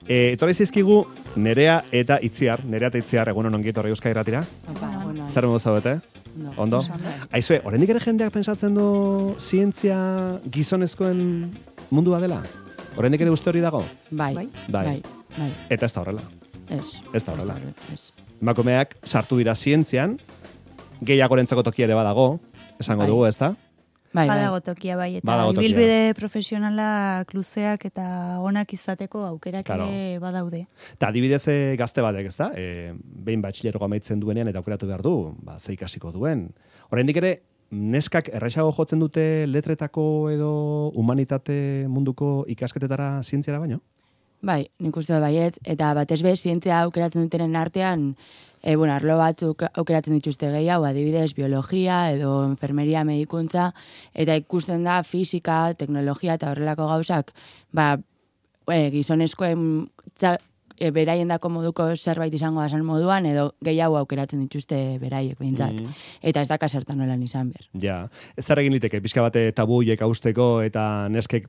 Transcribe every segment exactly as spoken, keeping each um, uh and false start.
E, etorri zizkigu Nerea eta Itziar, Nerea eta Itziar, egun honon gietorri Euskadi Irratira. Zer modu zaudete? No. Ondo? Aizue, oraindik ere jendeak pentsatzen du zientzia gizonezkoen mundua dela? Oraindik ere uste hori dago? Bai, bai. bai, bai. Eta ez da horrela. Ez. Ez da horrela. Ez. Emakumeak sartu dira zientzian, gehiagorentzako tokia ere badago, esango bai. dugu, ez da? Bai, bai. Badago tokia bai, eta Badago tokia. ibilbide profesionalak luzeak eta onak izateko aukerak Claro. ere badaude. Eta adibidez e, gazte batek, ez da? E, behin batxilergo amaitzen duenean eta aukeratu behar du, ba, ze ikasiko duen. Oraindik ere, neskak erraixago jotzen dute letretako edo humanitate munduko ikasketetara zientziara baino? Bai, nik uste dut baiet, eta batez be, zientzia aukeratzen dutenen artean, e, bueno, arlo batzuk aukeratzen dituzte gehiago, adibidez, biologia edo enfermeria medikuntza, eta ikusten da fisika, teknologia eta horrelako gauzak, ba, e, gizonezkoen tza, e, beraiendako moduko zerbait izango da zen moduan, edo gehiago aukeratzen dituzte beraiek behintzat. Mhm. Eta ez daka zertan nolan izan ber. Ja, ez zer egin liteke, pixka bate tabuiek hausteko eta neskek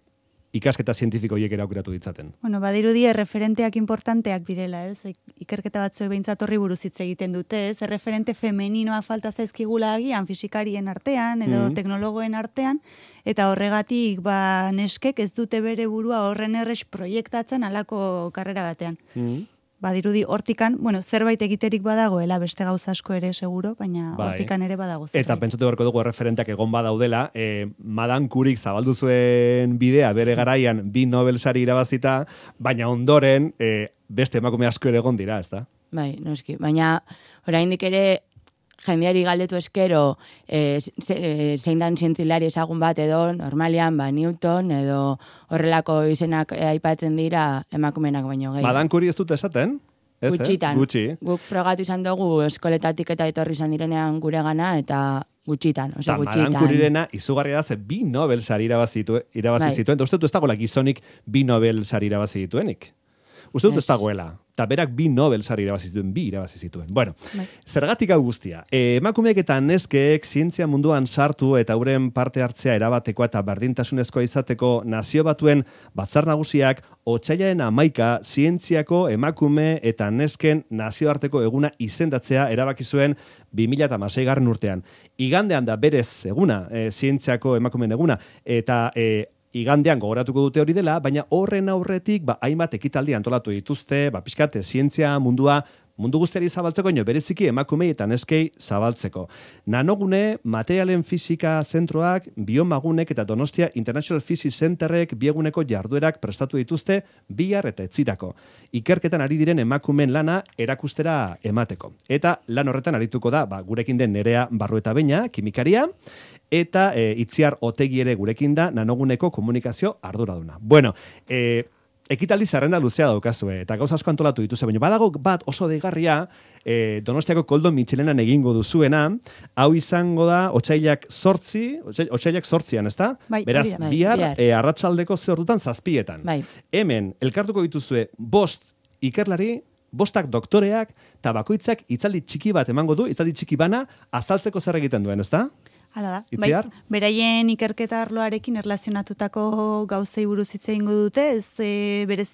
ikasketa zientifiko hiek ere aukeratu ditzaten. Bueno, badirudi erreferenteak importanteak direla, ez? Ikerketa batzuek behintzat horri buruz hitz egiten dute, ez? Erreferente femeninoa falta zaizkigula agian fisikarien artean edo Mhm. teknologoen artean, eta horregatik ba neskek ez dute bere burua horren erres proiektatzen halako karrera batean. Mm. Badirudi hortikan, bueno, zerbait egiterik badagoela, beste gauza asko ere seguro, baina Bai. hortikan ere badago zerbait. Eta pentsatu beharko dugu erreferenteak egon badaudela, e, Madan Curik zabaldu zuen bidea bere garaian bi Nobel sari irabazita, baina ondoren e, beste emakume asko ere egon dira, ezta? Bai, noski. Baina, oraindik ere, jendeari galdetu eskero, e, ze, zein dan zientzilari ezagun bat edo, normalian, ba, Newton, edo horrelako izenak e, aipatzen dira emakumenak baino gehi. Madan Curie ez dut esaten? Ez, Gutxitan. Eh? Gutxi. Guk frogatu izan dugu eskoletatik eta etorri izan direnean gure gana, eta gutxitan, oso Eta gutxitan. Madan Curirena izugarria da ze bi Nobel sari irabazi, ditu, irabazi Bai. zituen, eta uste dut ez dagoela gizonik bi Nobel sari irabazi dituenik. Uste dut ez Ez. dagoela. Eta berak bi Nobel sari irabazi zituen, bi irabazi zituen. Bueno, Bai. zergatik hau guztia. E, emakumeek eta neskeek zientzia munduan sartu eta euren parte hartzea erabatekoa eta berdintasunezkoa izateko Nazio Batuen Batzar Nagusiak otsailaren hamaika zientziako emakume eta nesken nazioarteko eguna izendatzea erabaki zuen bi mila hamaseigarren urtean. Igandean da berez eguna, e, zientziako emakumeen eguna, eta e, igandean gogoratuko dute hori dela, baina horren aurretik ba, hainbat ekitaldi antolatu dituzte, ba, pixkat, zientzia mundua mundu guztiari zabaltzeko, ino bereziki emakumei eta neskei zabaltzeko. Nanogune, materialen fisika zentroak, biomagunek eta Donostia International Physics Centerrek bieguneko jarduerak prestatu dituzte bihar eta etzirako. Ikerketan ari diren emakumeen lana erakustera emateko. Eta lan horretan arituko da, ba, gurekin den Nerea Barrueta Beña, kimikaria, eta e, Itziar Otegi ere gurekin da nanoguneko komunikazio arduraduna. Bueno, e, ekitaldi zerrenda luzea daukazue, eta gauza asko antolatu dituzue, baina badago bat oso deigarria, e, Donostiako Koldo Mitxelenan egingo duzuena, hau izango da otsailak sortzi, otsailak sortzian, ezta? Bai, Beraz, hori da. bihar, Bai, bihar. e, arratsaldeko ze ordutan zazpietan. Bai. Hemen, elkartuko dituzue bost ikerlari, bostak doktoreak, eta bakoitzak itzaldi txiki bat emango du, itzaldi txiki bana, azaltzeko zer egiten duen, ezta? Hala da. Itziar? Bai, beraien ikerketa arloarekin erlazionatutako gauzei buruz hitz egingo dute, ez e, berez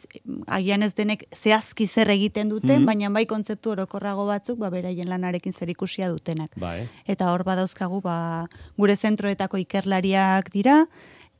agian ez denek zehazki zer egiten duten, Mhm. baina bai kontzeptu orokorrago batzuk, ba beraien lanarekin zerikusia dutenak. Bai. Eta hor badauzkagu ba gure zentroetako ikerlariak dira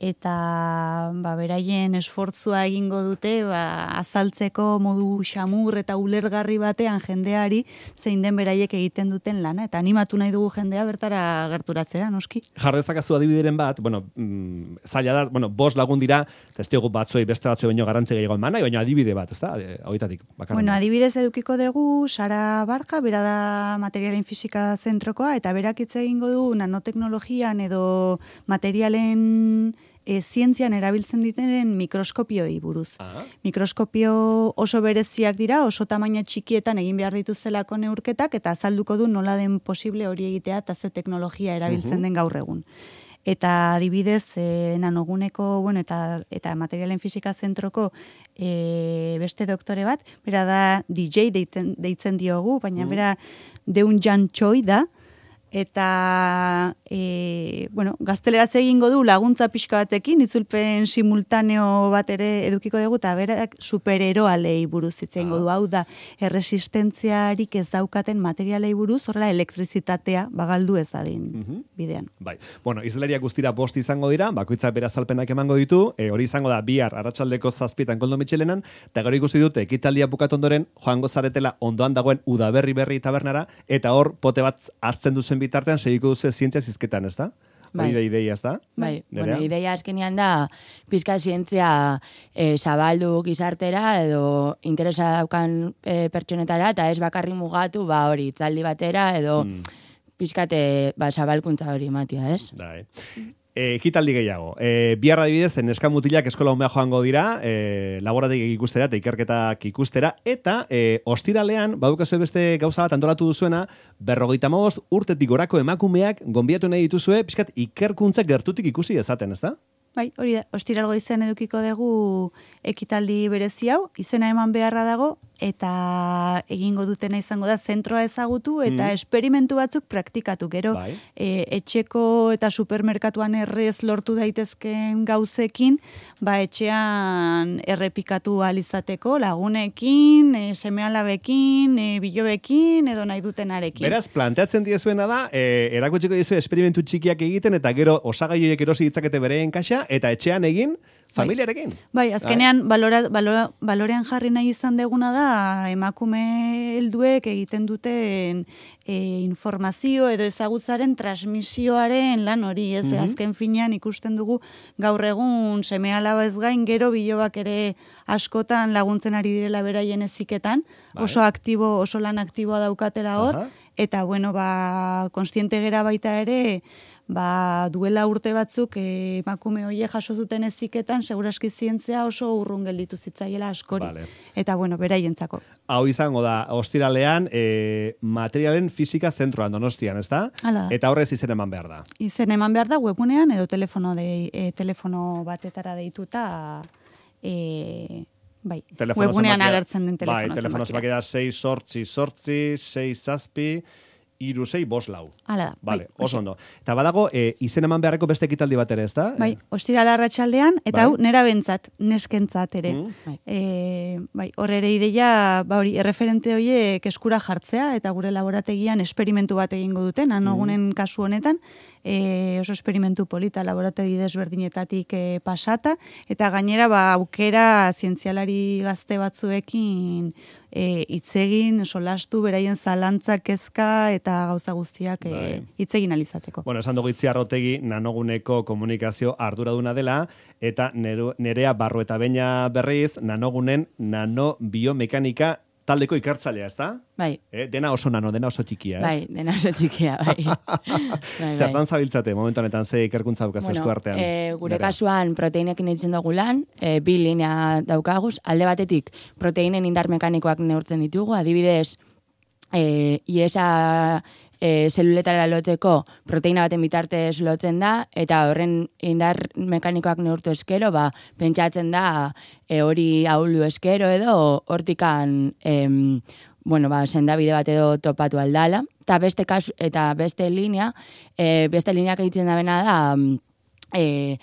eta ba beraien esfortzua egingo dute ba azaltzeko modu xamur eta ulergarri batean jendeari zein den beraiek egiten duten lana eta animatu nahi dugu jendea bertara gerturatzera noski. Jardezakazu adibideren bat, bueno, mm, zaila da, bueno, bost lagun dira, eta ez diogu batzuei beste batzuei baino garrantzi gehiago eman nahi, baina adibide bat, ezta? E, Hauetatik, bakarren. Bueno, adibidez edukiko dugu Sara Barka, bera da materialen fisika zentrokoa, eta berak hitz egingo du nanoteknologian edo materialen e, zientzian erabiltzen ditenen mikroskopioi buruz. Ah. Mikroskopio oso bereziak dira, oso tamaina txikietan egin behar dituztelako neurketak, eta azalduko du nola den posible hori egitea eta ze teknologia erabiltzen Mhm. den gaur egun. Eta adibidez, e, nanoguneko, bueno, eta, eta materialen fisika zentroko e, beste doktore bat, bera da D J deitzen, deitzen diogu, baina Mhm. bera Deun Jan Choi da, eta e, bueno, gazteleraz egingo du laguntza pixka batekin, itzulpen simultaneo bat ere edukiko dugu, eta berak supereroalei buruz hitz egingo du, hau da, erresistentziarik ez daukaten materialei buruz, horrela elektrizitatea bagaldu ez dadin Mhm. bidean. Bai. Bueno, izlariak guztira bost izango dira, bakoitzak bera azalpenak emango ditu, e, hori izango da bihar arratsaldeko zazpietan Koldo Mitxelenan, eta gero ikusi dute ekitaldia bukatu ondoren joango zaretela ondoan dagoen Udaberri berri tabernara, eta hor pote bat hartzen duzen bitartean segiko duzu zientzia zizketan, ez da? Bai. Hori da ideia, ez da? Bai, Nerea? bueno, ideia azkenean da, pizka zientzia e, zabaldu gizartera edo interesa daukan e, pertsonetara, eta ez bakarri mugatu, ba hori, itzaldi batera edo Mm. pizkate ba, zabalkuntza hori ematia, ez? Bai. E, ekitaldi gehiago. E, bihar adibidez, neska mutilak eskola umea joango dira, e, laborategiak ikustera eta ikerketak ikustera, eta e, ostiralean, badukazue beste gauza bat antolatu duzuena, berrogeita hamabost urtetik gorako emakumeak gonbiatu nahi dituzue, pixkat ikerkuntza gertutik ikusi dezaten, ez da? Bai, hori da, ostiral goizean edukiko dugu ekitaldi berezi hau, izena eman beharra dago, eta egingo dutena izango da zentroa ezagutu, eta Mm. esperimentu batzuk praktikatu. Gero, Bai. e, etxeko eta supermerkatuan errez lortu daitezken gauzekin, ba etxean errepikatu ahal izateko, lagunekin, e, seme-alabekin, e, bilobekin, edo nahi dutenarekin. Beraz, planteatzen diezuena da, e, erakutsiko diezue esperimentu txikiak egiten, eta gero osagai horiek erosi ditzakete bereen kaxa, eta etxean egin, familiarekin. Bai, azkenean balora, balora, balorean jarri nahi izan deguna da emakume helduek egiten duten e, informazio edo ezagutzaren transmisioaren lan hori, ez? Mhm. Azken finean ikusten dugu gaur egun seme-alaba ez gain gero bilobak ere askotan laguntzen ari direla beraien heziketan, Bai. oso aktibo, oso lan aktiboa daukatela hor, Aha. eta bueno, ba, konstiente gera baita ere, ba, duela urte batzuk eh, emakume hoie jaso zuten heziketan segurazki zientzia oso urrun gelditu zitzaiela askori. Vale. Eta bueno, beraientzako. Hau izango da, ostiralean, e, materialen fisika zentroan Donostian, ez da? Hala da. Eta horrez izen eman behar da. Izen eman behar da webunean edo telefono, de, e, telefono batetara deituta e, bai, Telefono webunean zenbakia- agertzen den telefono. Bai, telefono zenbaki da sei sortzi sortzi, sei zazpi, iru sei bost lau. Hala da. Vale, bai, oso ondo. Eta badago, e, izen eman beharreko beste ekitaldi bat ere, ez da? Bai, ostirala arratsaldean eta Bai. hau nera bentzat, neskentzat ere. Mm. Bai. E, bai, hor ere ideia, ba hori, erreferente horiek eskura jartzea eta gure laborategian esperimentu bat egingo duten, anogunen kasu honetan, e, oso esperimentu polita laborategi desberdinetatik e, pasata, eta gainera ba aukera zientzialari gazte batzuekin e, itzegin, solastu, beraien zalantza, kezka eta gauza guztiak Bai. e, itzegin alizateko. Bueno, esan dugu Itziarrotegi nanoguneko komunikazio arduraduna dela, eta neru, nerea barru eta beina berriz, nanogunen nanobiomekanika taldeko ikertzailea, ez da? Bai, Eh, dena oso nano, dena oso txikia, ez? bai, dena oso txikia, bai. bai, Zertan zabiltzate, momentu honetan ze ikerkuntza dukazu esku artean? e, gure Nerea? kasuan proteinekin egiten dugu lan, e, bi linea daukaguz, alde batetik proteinen indar mekanikoak neurtzen ditugu, adibidez, e, iesa e, zeluletara lotzeko proteina baten bitartez lotzen da, eta horren indar mekanikoak neurtu eskero, ba, pentsatzen da e, hori ahuldu eskero edo hortikan em, bueno, ba, sendabide bat edo topatu aldala. Eta beste kasu, eta beste linea, e, beste lineak egiten da bena da, e,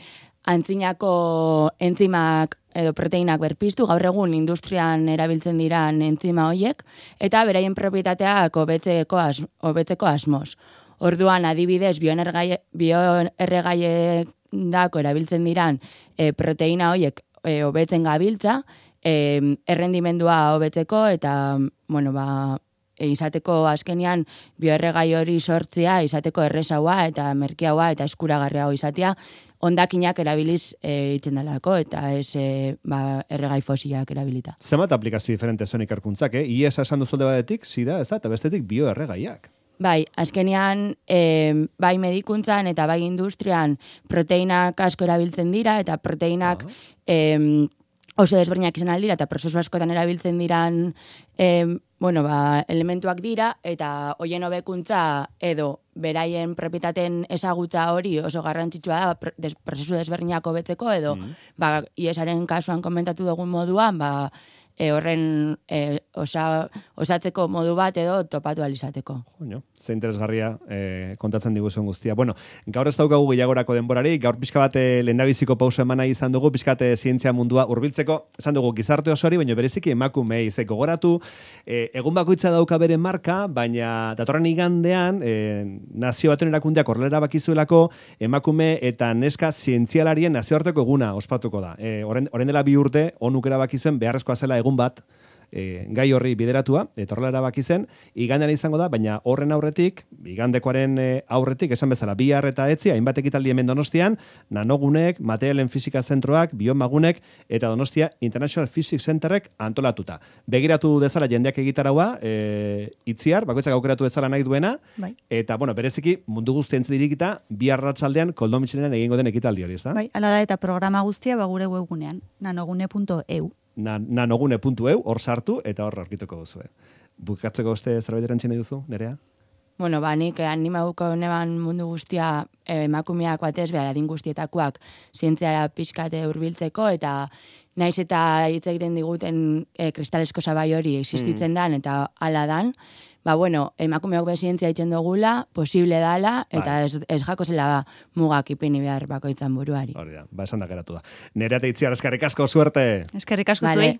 antzinako entzimak edo proteinak berpiztu, gaur egun industrian erabiltzen diran entzima hoiek, eta beraien propietateak hobetzeko as, hobetzeko asmoz. Orduan, adibidez, bioerregaiek dako erabiltzen diran e, proteina hoiek e, hobetzen gabiltza, e, errendimendua hobetzeko, eta, bueno, ba, e, izateko azkenean bioerregai hori sortzea, izateko errezaua eta merkiaua eta eskuragarriago izatea, ondakinak erabiliz e, itzen delako, eta ez e, ba, erregai fosilak erabilita. Zenbat aplikazio diferente zuen ikerkuntzak, eh? I E S esan duzulde batetik, zida, ez da, eta bestetik bioerregaiak. Bai, azkenean, e, bai medikuntzan eta bai industrian proteinak asko erabiltzen dira, eta proteinak Ah. e, oso desberdinak izan aldira, eta prozesu askotan erabiltzen diran e, bueno, ba, elementuak dira, eta hoien hobekuntza edo beraien propietateen ezagutza hori oso garrantzitsua da pro- des, prozesu desberdinak hobetzeko, edo Mm. ba, iesaren kasuan komentatu dugun moduan, ba, e, horren e, osa, osatzeko modu bat edo topatu alizateko. Jo, ze interesgarria e, kontatzen diguzuen guztia. Bueno, gaur ez daukagu gehiagorako denborari, gaur pixka bat e, lehendabiziko pauso eman nahi izan dugu, pixka bat zientzia mundua hurbiltzeko, esan dugu gizarte osoari, baina bereziki emakumei zeko goratu, e, egun bakoitza dauka bere marka, baina datorren igandean, e, nazio batuen erakundeak horrela bakizuelako, emakume eta neska zientzialarien nazioarteko eguna ospatuko da. E, oren, oren dela bi urte, onuk erabakizuen beharrezkoa zela egun bat, E, gai horri bideratua, eta horrela erabaki zen, igandean izango da, baina horren aurretik, igandekoaren e, aurretik, esan bezala, bihar eta etzi, hainbat ekitaldi hemen Donostian, nanogunek, materialen fisika zentroak, biomagunek, eta Donostia International Physics Centerrek antolatuta. Begiratu dezala jendeak egitaraua, e, itziar, bakoitzak aukeratu dezala nahi duena, bai. Eta, bueno, bereziki, mundu guztien dirikita, bihar ratzaldean, Koldo Mitxelenen egingo den ekitaldi hori, ez da? Bai, ala da, eta programa guztia ba, gure webgunean, nanogune puntu e u. nanogune puntu e u, hor sartu, eta hor aurkituko duzu. Bukatzeko beste zerbait erantzine duzu, Nerea? Bueno, ba, nik animauko neban mundu guztia eh, emakumeak batez, behar adin guztietakoak zientziara pixkate hurbiltzeko eta naiz eta hitz egiten diguten eh, kristalesko sabai hori existitzen mm. dan eta hala dan, ba, bueno, emakumeok bezientzia itzen dugula, posible dala, eta ez, ez jako zela mugak ipini behar bakoitzan buruari. Hori da, ba, esan da geratu da. Nerea eta Itziar, eskerrik asko, suerte! Eskerrik asko vale. zuei.